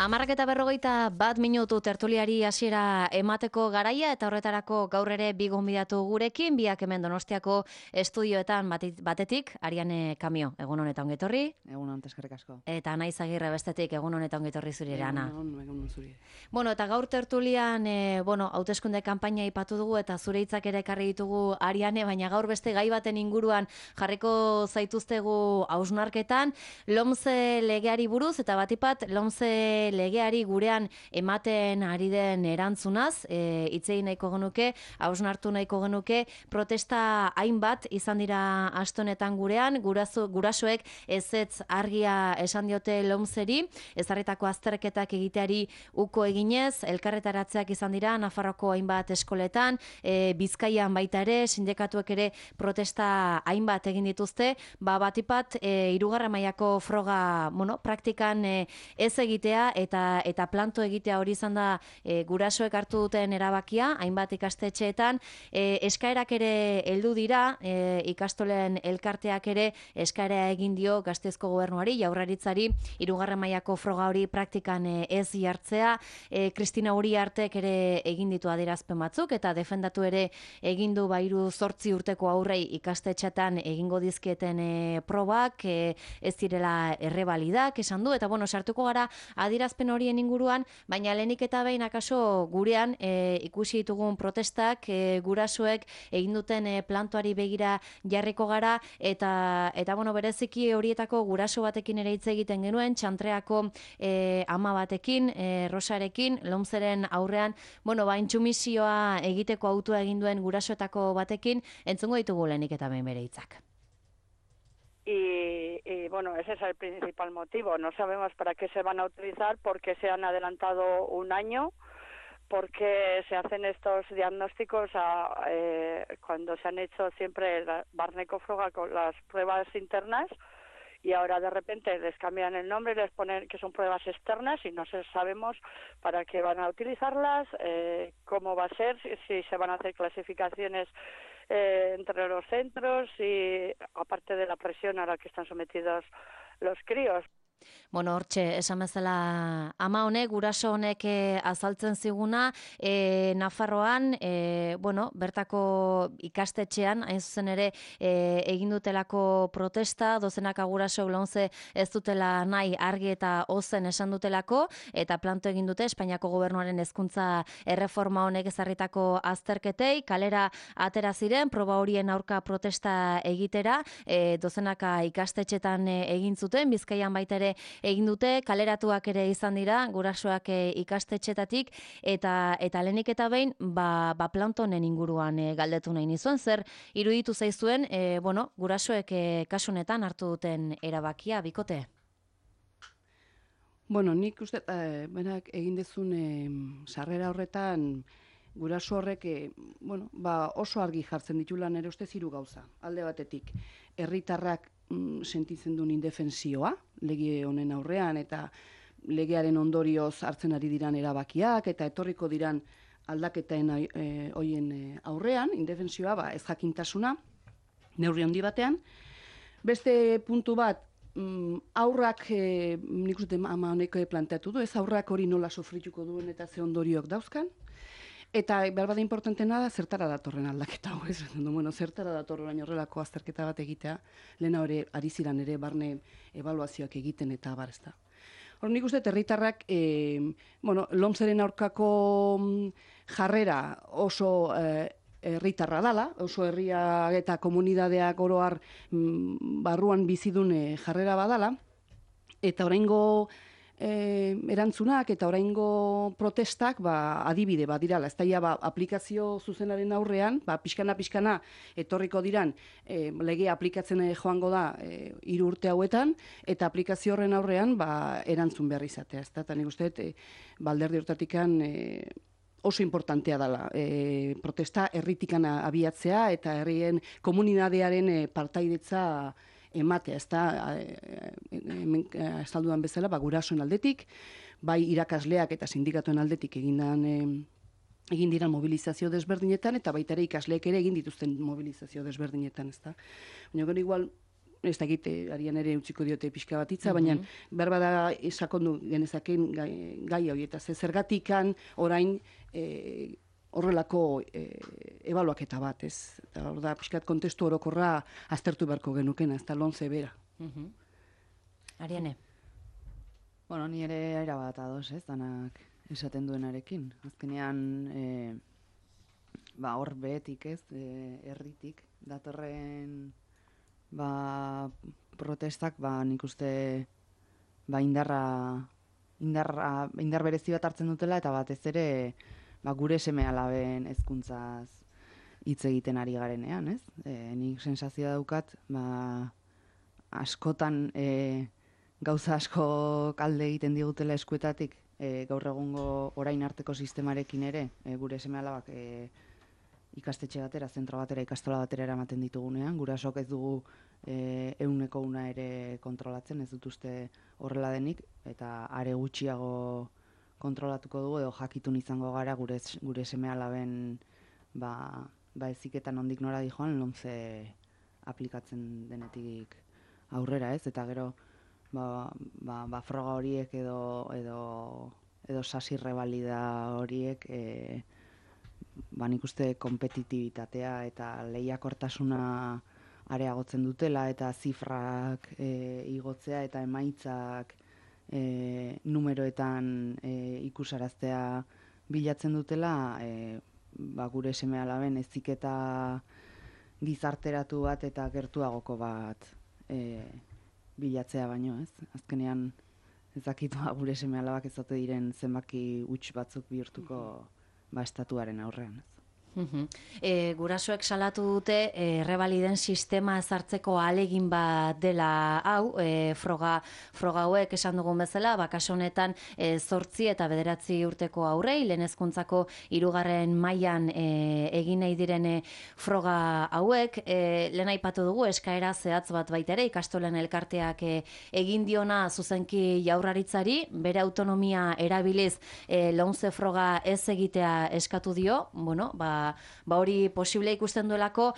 10:41 tertuliari hasiera emateko garaia eta horretarako gaur ere bi gonbidatu gurekin, biak hemen Donostiako estudioetan batetik, Ariane Kamio, egun honetan ongetorri. Egun honetan eskerrik asko. Eta Anaiz Agirre bestetik, egun honetan ongetorri zuri ere, Ana. Egun zuri. Bueno, eta gaur tertulian, hauteskunde kanpaina aipatu dugu eta zure hitzak ere ekarri ditugu, Ariane, baina gaur beste gai baten inguruan jarriko zaituztegu hausnarketan, LOMCE legeari buruz eta batipat LOMCE legeari gurean ematen ari den erantzunaz, hitzei nahiko genuke, hausnartu nahiko genuke, protesta hainbat izan dira astonetan gurean, gurasoek ezetz argia esan diote LOMCEri, ezarritako azterketak egiteari uko eginez, elkarretaratzeak izan dira Nafarroko hainbat eskoletan, Bizkaian baita ere, sindikatuek ere protesta hainbat egin dituzte, batipat hirugarren mailako froga, praktikan ez egitea eta planto egitea hori izan da gurasoek hartu duten erabakia, hainbat ikastetxeetan, eskaerak ere heldu dira, ikastolen elkarteak ere eskaera egin dio Gasteizko gobernuari, Jaurlaritzari, hirugarren mailako froga hori praktikan ez jartzea, Kristina Uriartek ere egin ditu adierazpen batzuk eta defendatu ere egin du 3-8 urteko aurrei ikastetxetan egingo dizkieten probak, ez direla errebalidak esan du, eta sartuko gara adierazpen horien inguruan, baina lehenik eta behin akaso gurean ikusi ditugun protestak, gurasoek egin duten plantoari begira jarriko gara, eta bereziki horietako guraso batekin ere hitz egiten genuen, Txantreako ama batekin, Rosarekin, LOMCEren aurrean, intsumisioa egiteko autua egin duen gurasoetako batekin, entzungo ditugu lehenik eta behin bere hitzak. Y ese es el principal motivo. No sabemos para qué se van a utilizar, porque se han adelantado un año, porque se hacen estos diagnósticos cuando se han hecho siempre la Barneko-Froga con las pruebas internas, y ahora de repente les cambian el nombre y les ponen que son pruebas externas y no sabemos para qué van a utilizarlas, cómo va a ser, si se van a hacer clasificaciones entre los centros, y aparte de la presión a la que están sometidos los críos. Hortxe, esan bezala ama honek, guraso honek azaltzen ziguna, Nafarroan, bertako ikastetxean, hain zuzen ere, egin dutelako protesta, dozenaka guraso LOMCE ez dutela nahi argi eta ozen esan dutelako, eta planto egin dute Espainiako gobernuaren hezkuntza erreforma honek ezarritako azterketei, kalera atera ziren, proba horien aurka protesta egitera, dozenaka ikastetxetan egin zuten, Bizkaian baita ere egin dute, kaleratuak ere izan dira, gurasoak ikastetxetatik, eta lehenik eta behin, planto honen inguruan galdetu nahi nizuen, zer iruditu zaizuen, gurasoek kasunetan hartu duten erabakia, bikote? Nik uste, berak egin dezun sarrera horretan, guraso horrek, oso argi jartzen ditula nere ustez 3 gauza. Alde batetik, herritarrak sentitzen duen indefensioa, lege honen aurrean, eta legearen ondorioz hartzen ari diran erabakiak, eta etorriko diran aldaketaen hoien aurrean, indefensioa, ez jakintasuna, neurri handi batean. Beste puntu bat, aurrak, nik uste ama honek planteatu du, ez aurrak hori nola sofrituko duen eta ze ondorioak dauzkan. Eta behar bada importantena da, zertara datorren aldaketa hau, ez? Zertara datorren orain horrelako azterketa bat egitea, lehena hori ari ziran ere barne ebaluazioak egiten eta abar, ez da. Hor nik uste, herritarrak, LOMCEren aurkako jarrera oso herritarra dala, oso herria eta komunidadeak oro har barruan bizidun jarrera badala, eta oraingo erantzunak eta oraingo protestak adibide badirala, ez da aplikazio zuzenaren aurrean, pixkana etorriko diran lege aplikatzen joango da 3 urte hauetan, eta aplikazio horren aurrean erantzun behar izatea, ez da, eta nik uste alderdi hortatikan oso importantea dela protesta herritikan abiatzea eta herrien komunitatearen partaidetza ematea, ez da, estalduan bezala, gurasoen aldetik, bai irakasleak eta sindikatuen aldetik egin diran mobilizazio desberdinetan, eta baita ere ikasleek ere egin dituzten mobilizazio desberdinetan, ez da. Baina gero igual, ez da egite, arian ere utziko diote pixka bat hitza, baina berbada sakondu genezaken gai hori, eta zergatikan orain horrelako ebaluaketa bat, ez? Eta hor da, pixkat kontestu orokorra aztertu beharko genukena, ez da lomce bera. Ariane? Bueno, ni ere erabat ados, ez, danak esaten duenarekin. Azkenean, hor behetik, ez, herritik, datorren protestak, nik uste indar berezi bat hartzen dutela, eta batez ere gure seme-alaben hezkuntzaz hitz egiten ari garenean, ez? Nik sensazioa daukat, askotan gauza asko kalde egiten digutela eskuetatik, gaur egungo orain arteko sistemarekin ere, gure seme-alabak ikastetxe batera, zentro batera, ikastola batera eramaten ditugunean, gurasok ez dugu 100% ere kontrolatzen, ez dut uste horrela denik, eta are gutxiago kontrolatuko dugu, edo jakitun izango gara gure seme-alaben eziketan ondik nora dijoan, lomce aplikatzen denetik aurrera, ez? Eta gero, froga horiek edo sasi rebalida horiek, nik uste kompetitibitatea eta lehiakortasuna areagotzen dutela, eta zifrak igotzea eta emaitzak numeroetan ikusaraztea bilatzen dutela, gure seme-alaben heziketa gizarteratu bat eta gertuagoko bat bilatzea baino, ez? Azkenean ez dakit gure seme-alabak ez ote diren zenbaki huts batzuk bihurtuko estatuaren aurrean, ez? Gurasoek salatu dute errebaliden sistema ezartzeko ahalegin bat dela hau, froga hauek esan dugun bezala, kasu honetan 8 eta 9 urteko aurrei, lehen hezkuntzako 3. mailan egin nahi diren froga hauek, lehen aipatu dugu eskaera zehatz bat baita ere, ikastolen elkarteak egin diona zuzenki Jaurlaritzari, bere autonomia erabiliz lomce froga ez egitea eskatu dio, hori posible ikusten duelako,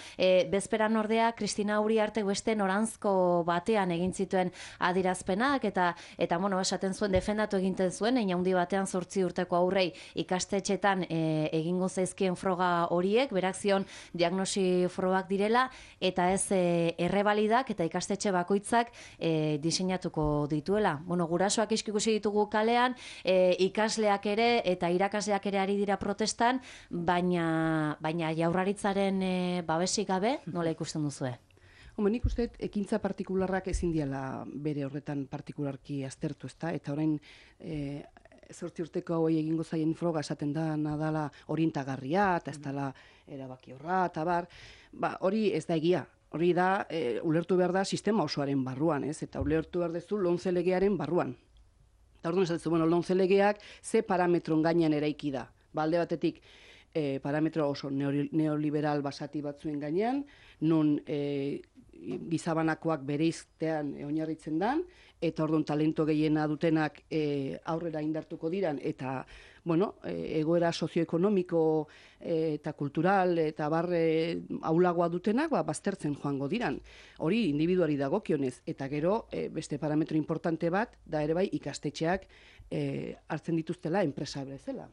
bezperan ordea Kristina Uriartek beste noranzko batean egin zituen adierazpenak, eta esaten zuen, defendatu egiten zuen, handi batean 8 urteko aurrei ikastetxetan egingo zaizkien froga horiek, berak zion diagnosi frogak direla, eta ez errebalidak eta ikastetxe bakoitzak diseinatuko dituela. Gurasoak ikusi ditugu kalean, ikasleak ere eta irakasleak ere ari dira protestan, baina Jaurlaritzaren babesik gabe, nola ikusten duzue? Nik uste ekintza partikularrak ezin diala bere horretan partikularki aztertu, ezta? Eta orain 8 urteko hauei egingo zaien froga esaten da nadala orientagarria, eta ez dela erabakiorra, eta hori ez da egia. Hori da, ulertu behar da sistema osoaren barruan, ez? Eta ulertu behar dezu lomce legearen barruan. Eta orduan esatzen, lomce legeak ze parametron gainean eraiki da. Alde batetik, parametro oso neoliberal basati batzuen gainean, non gizabanakoak bereiztean oinarritzen dan, eta orduan talento gehiena dutenak aurrera indartuko diran, eta egoera sozioekonomiko eta kultural eta aulagoa dutenak baztertzen joango diran. Hori individuari dagokionez, eta gero beste parametro importante bat, da ere bai ikastetxeak hartzen dituztela enpresa bezala.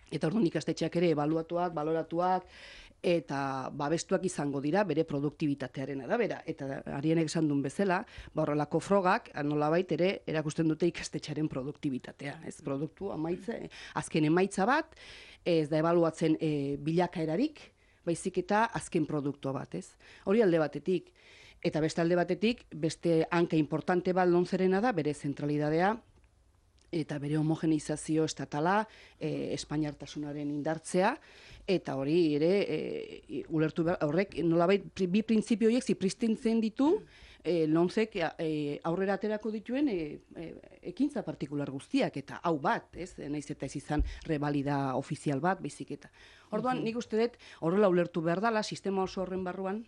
Eta orduan ikastetxeak ere ebaluatuak, baloratuak eta babestuak izango dira bere produktibitatearen arabera. Eta Arienek esan duen bezala, horrelako frogak nolabait ere erakusten dute ikastetxearen produktibitatea. Ez produktu azken emaitza bat, ez da ebaluatzen bilakaerarik, baizik eta azken produktu bat, ez? Hori alde batetik. Eta beste alde batetik, beste hanka importante bat lomcerena da, bere zentralidadea, eta bere homogeneizazio estatala, espainiartasunaren indartzea, eta hori ere, ulertu horrek, nolabait, bi printzipio horiek zipristintzen ditu, lomcek aurrera aterako dituen ekintza partikular guztiak, eta hau bat, ez? Naiz eta ez izan rebalida ofizial bat, baizik eta. Orduan, nik uste dut, horrela ulertu behar dela, sistema oso horren barruan,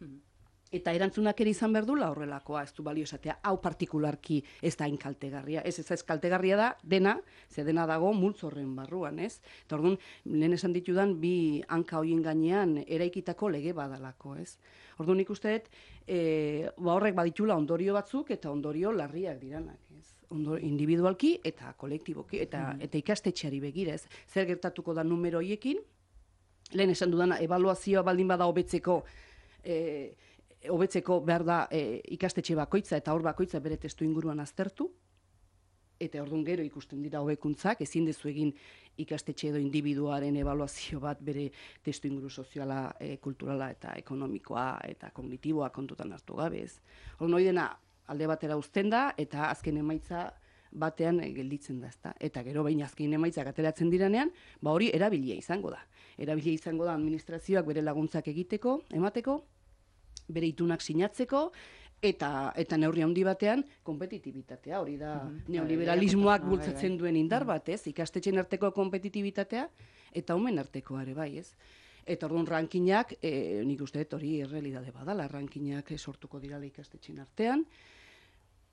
eta erantzunak ere izan behar dula horrelakoa, ez du balio esatea, hau partikularki ez da inkaltegarria. Ez kaltegarria da, dena, ze dena dago multzo horren barruan, ez? Eta orduan, lehen esan ditudan, bi hanka horien gainean eraikitako lege badalako, ez? Orduan nik uste dut, horrek baditula ondorio batzuk eta ondorio larriak diranak, ez? Individualki eta kolektiboki eta ikastetxeari begirez. Zer gertatuko da numero hoiekin? Lehen esan dudana, ebaluazioa baldin bada hobetzeko behar da ikastetxe bakoitza eta hor bakoitza bere testu inguruan aztertu, eta orduan gero ikusten dira hobekuntzak, ezin dezu egin ikastetxe edo individuaren ebaluazio bat bere testu inguru soziala, kulturala eta ekonomikoa eta kognitiboa kontutan hartu gabe ez. Orduan hori dena alde batera uzten da eta azken emaitza batean gelditzen da, ezta? Eta gero behin azken emaitzak ateratzen diranean, hori erabilia izango da. Erabilia izango da administrazioak bere laguntzak emateko, bere itunak sinatzeko, eta neurri handi batean konpetitibitatea, hori da neoliberalismoak bultzatzen duen indar bat, ez? Ikastetxeen arteko konpetitibitatea eta umen artekoa ere bai, ez? Eta orduan rankinak, nik uste dut hori errealidade badala, rankinak sortuko dirala ikastetxeen artean,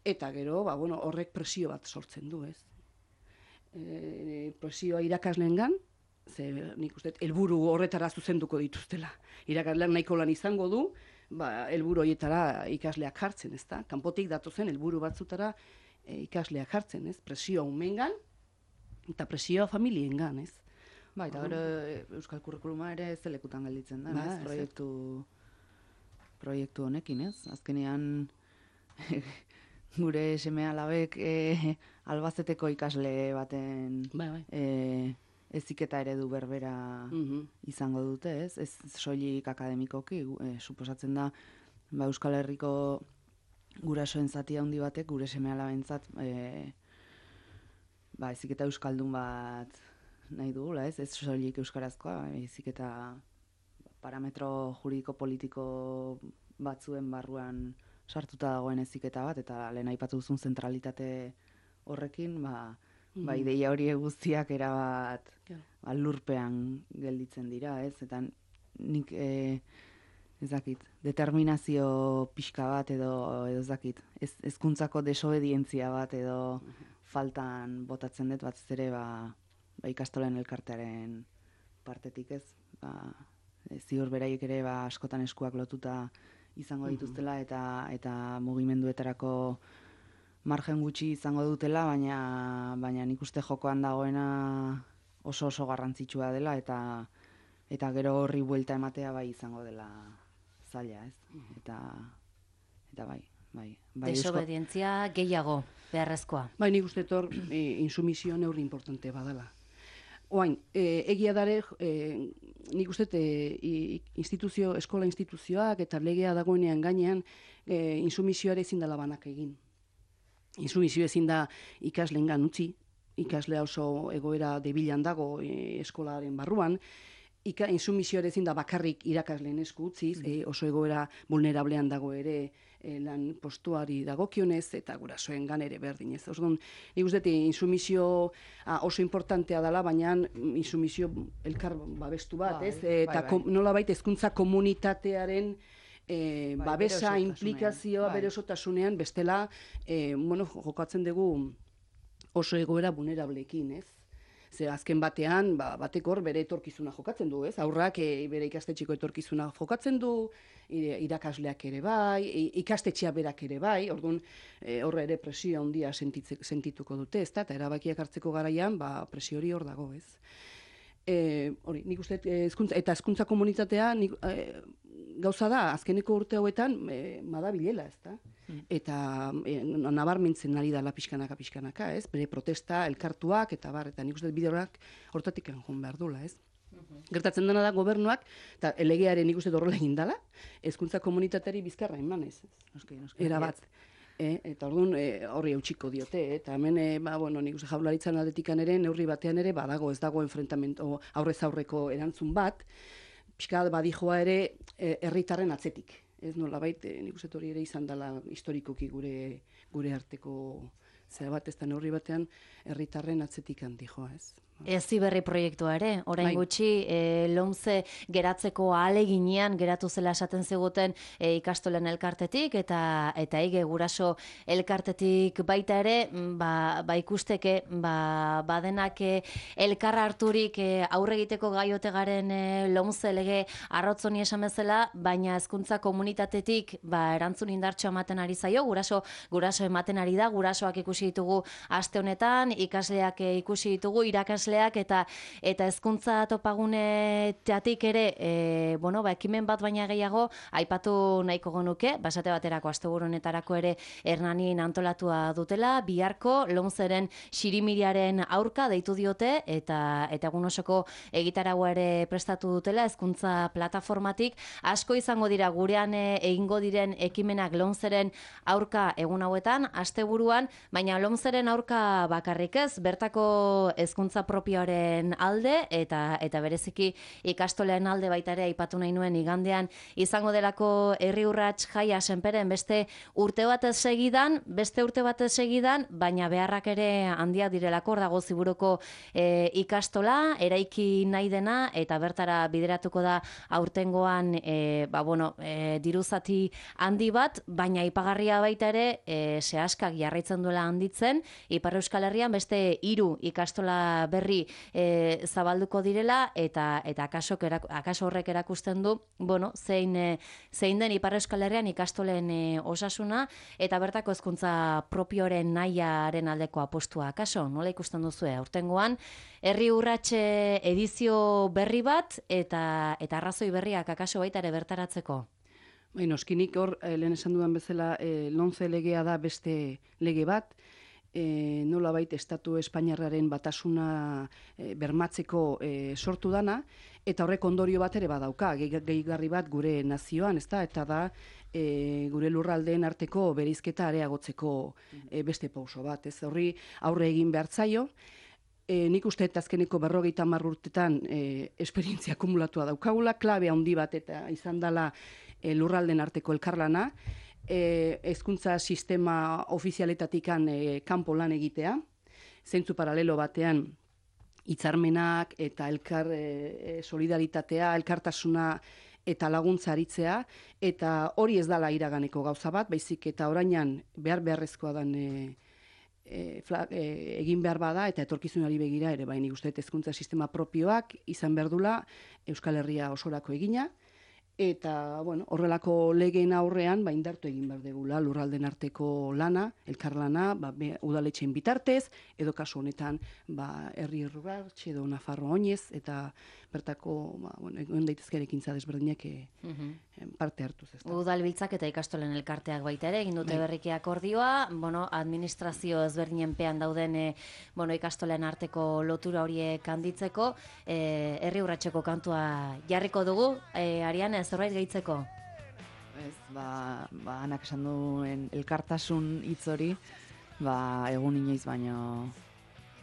eta gero, horrek presio bat sortzen du, ez? Presioa irakasleengan, ze nik uste dut helburu horretara zuzenduko dituztela. Irakasleak nahiko lan izango du, helburu horietara ikasleak jartzen, ezta? Kanpotik datozen helburu batzutara ikasleak jartzen, ez? Presioa umengan eta presioa familiengan, ez? Eta gero Euskal Kurrikuluma ere zelekutan gelditzen da, ez? Proiektu honekin, ez? Azkenean gure seme-alabek Albazeteko ikasle baten heziketa eredu berbera izango dute, ez? Ez soilik akademikoki, suposatzen da Euskal Herriko gurasoen zati handi batek gure seme-alabentzat heziketa euskaldun bat nahi dugula, ez? Ez soilik euskarazkoa, heziketa parametro juridiko politiko batzuen barruan sartuta dagoen heziketa bat, eta lehen aipatu duzun zentralitate horrekin, ideia hori guztiak erabat lurpean gelditzen dira, ez? Eta nik ez dakit, determinazio pixka bat edo ez dakit, hezkuntzako desobedientzia bat edo faltan botatzen dut batez ere ikastolen elkartearen partetik, ez? Ziur beraiek ere askotan eskuak lotuta izango dituztela eta mugimenduetarako margen gutxi izango dutela, baina nik uste jokoan dagoena oso garrantzitsua dela eta gero horri buelta ematea izango dela zaila, ez? Eta bai. Desobedientzia gehiago beharrezkoa. Nik uste hor insumisio neurri importante badala. Oain, egia dare, nik uste eskola instituzioak eta legea dagoenean gainean insumisioare ezin dela banak egin. Insumisio ezin da ikasleengan utzi, ikaslea oso egoera debilan dago eskolaren barruan, insumisioare ezin da bakarrik irakasleen esku utziz, oso egoera vulnerablean dago ere lan postuari dagokionez eta gurasoengan ere berdinez. Orduan, nik uste insumisio oso importantea dela, baina insumisio elkar babestu bat, ez? Eta nolabait hezkuntza komunitatearen babesa, implikazioa bere osotasunean, bestela, jokatzen dugu oso egoera vulnerableekin, ez? Ze azken batean, batek hor bere etorkizuna jokatzen du, ez? Haurrak bere ikastetxeko etorkizuna jokatzen du, irakasleak ere bai, ikastetxea berak ere bai, orduan horre ere presio handia sentituko dute, ezta? Eta erabakiak hartzeko garaian, presio hori hor dago, ez? Hori, nik uste, hezkuntza komunitatea gauza da, azkeneko urte hauetan madabilela, ezta? Eta nabarmentzen ari dela pixkanaka, ez? Bere protesta, elkartuak, eta nik uste bide hortatik joan behar dula, ez? Gertatzen dena da gobernuak, eta legearen nik uste horrela egin dela, hezkuntza komunitateari bizkarra eman, ez? Erabat. Eta orduan horri eutxiko diote, eta hemen, nik uste jaurlaritzan aldetikan ere, neurri batean ere, badago ez dago enfrentamento aurrez aurreko erantzun bat, pixka badijoa ere herritarren atzetik. Ez nolabait, nik uste hori ere izan dela historikoki gure arteko Zera bat ez da neurri batean herritarren atzetik handi joa, ez? Heziberri proiektua ere, orain gutxi LOMCE geratzeko ahaleginean geratu zela esaten ziguten ikastolen elkartetik eta ege guraso elkartetik baita ere, ikusteke badenak elkarra harturik aurre egiteko gaiote garen LOMCE lege arrotzoni esan bezala, baina hezkuntza komunitatetik erantzun indartxo ematen ari zaio, guraso ematen ari da, gurasoak ikusi ditugu aste honetan, ikasleak ikusi ditugu, irakasleak eta hezkuntza topagunetik ere, ekimen bat baina gehiago aipatu nahiko genuke, esate baterako asteburu honetarako ere Hernanin antolatua dutela, biharko LOMCEren xirimiriaren aurka deitu diote eta egun osoko egitaragua ere prestatu dutela hezkuntza plataformatik, asko izango dira gurean egingo diren ekimenak LOMCEren aurka egun hauetan, asteburuan, baina LOMCEren aurka bakarrik ez, bertako hezkuntza propioaren alde eta bereziki ikastoleen alde baita ere aipatu nahi nuen igandean izango delako herri urrats jaia Senperen beste urte batez segidan, baina beharrak ere handiak direlako, hor dago Ziburuko ikastola, eraiki nahi dena eta bertara bideratuko da aurtengoan diruzati handi bat, baina aipagarria baita ere sehaskak jarraitzen duela handitzen, Ipar Euskal Herrian beste 3 ikastola berri zabalduko direla eta akaso horrek erakusten du zein den Ipar Euskal Herrian ikastolen osasuna eta bertako hezkuntza propioren nahiaren aldeko apostua. Akaso, nola ikusten duzue? Aurtengoan herri urratxe edizio berri bat eta arrazoi berriak akaso baita ere bertaratzeko. Noskinik hor, lehen esan dudan bezala, LOMCE legea da beste lege bat, nolabait estatu espainiarraren batasuna bermatzeko sortu dana, eta horrek ondorio bat ere badauka, gehigarri bat gure nazioan, ezta? Eta da gure lurraldeen arteko bereizketa areagotzeko beste pauso bat, ez? Horri aurre egin behar zaio. Nik uste azkeneko 50 urtetan esperientzia akumulatua daukagula, klabe handi bat eta izan dela lurralden arteko elkarlana, hezkuntza sistema ofizialetatikan kanpo lan egitea, zeintzu paralelo batean hitzarmenak eta elkar solidaritatea, elkartasuna eta laguntza aritzea, eta hori ez dala iraganeko gauza bat, baizik eta orainan beharrezkoa dan egin behar bada eta etorkizunari begira ere, baina uste hezkuntza sistema propioak izan behar dula Euskal Herria osorako egina, eta horrelako legeen aurrean indartu egin behar degula lurralden arteko lana, elkarlana, udaletxeen bitartez, edo kasu honetan herri urrats edo Nafarroa oinez, eta bertako egon daitezke ekintza desberdinak parte hartuz. Udalbiltzak eta ikastolen elkarteak baita ere, egin dute berriki akordioa, administrazio ezberdinen pean dauden ikastolen arteko lotura horiek handitzeko, herri urratseko kantua jarriko dugu, Ariane, zerbait gehitzeko? Ez, anak esan duen elkartasun hitz hori, egun inoiz baino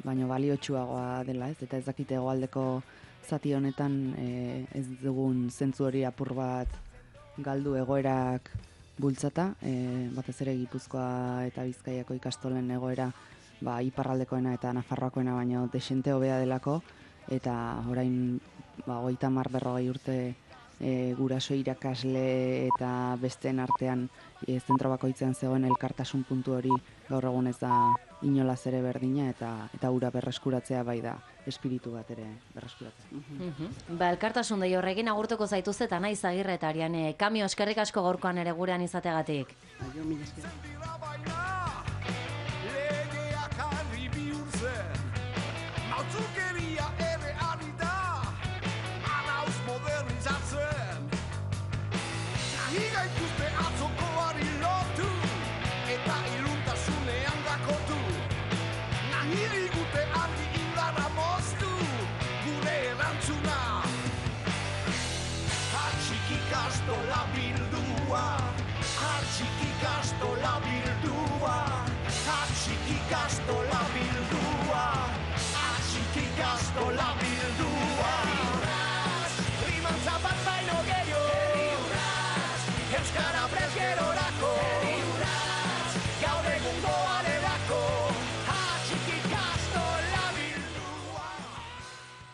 baliotsuagoa dela, ez? Eta ez dakite hegoaldeko zati honetan ez dugun zentzu hori apur bat galdu egoerak bultzata, batez ere Gipuzkoa eta Bizkaiako ikastolen egoera iparraldekoena eta Nafarroakoena baino desente hobea delako, eta orain 30-40 urte guraso irakasle eta besteen artean zentro bakoitzean zegoen elkartasun puntu hori gaur egun ez da inolaz ere berdina eta ura berreskuratzea bai da espiritu bat ere berreskuratzea. Elkartasun dei horrekin agurtuko zaituzte eta naiz Agirre eta Ariane. Kamio, eskerrik asko gaurkoan ere gurean izategatik. Aio, mila esker. Ikuste atzokoari lotu eta iluntasunean dakotu. Nahi digute argi indarra moztu gure erantzuna. Hatxik ikastola bildua, hatxik ikastola bildua, hatxik ikastola bildua, hatxik ikastola bildua. Rimantza bat baino gehiago, Euskara prest gero